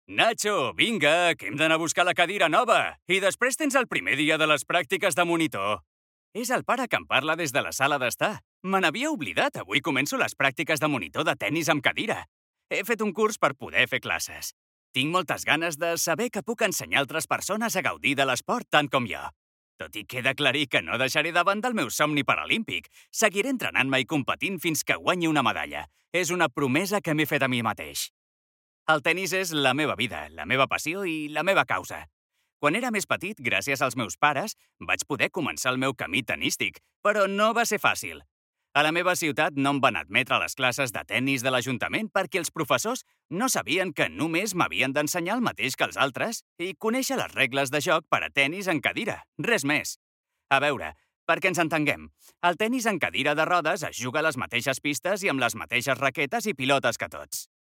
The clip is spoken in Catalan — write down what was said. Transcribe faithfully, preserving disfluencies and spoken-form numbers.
Nacho, vinga, que hem d'anar a buscar la cadira nova. I després tens el primer dia de les pràctiques de monitor. És el pare que em parla des de la sala d'estar. Me n'havia oblidat, avui començo les pràctiques de monitor de tennis amb cadira. He fet un curs per poder fer classes. Tinc moltes ganes de saber que puc ensenyar altres persones a gaudir de l'esport tant com jo. Tot i que he d'aclarir que no deixaré de banda el meu somni paralímpic. Seguiré entrenant-me i competint fins que guanyi una medalla. És una promesa que m'he fet a mi mateix. El tennis és la meva vida, la meva passió i la meva causa. Quan era més petit, gràcies als meus pares, vaig poder començar el meu camí tenístic, però no va ser fàcil. A la meva ciutat no em van admetre a les classes de tennis de l'Ajuntament perquè els professors no sabien que només m'havien d'ensenyar el mateix que els altres i conèixer les regles de joc per a tennis en cadira, res més. A veure, perquè ens entenguem, el tennis en cadira de rodes es juga a les mateixes pistes i amb les mateixes raquetes i pilotes que tots.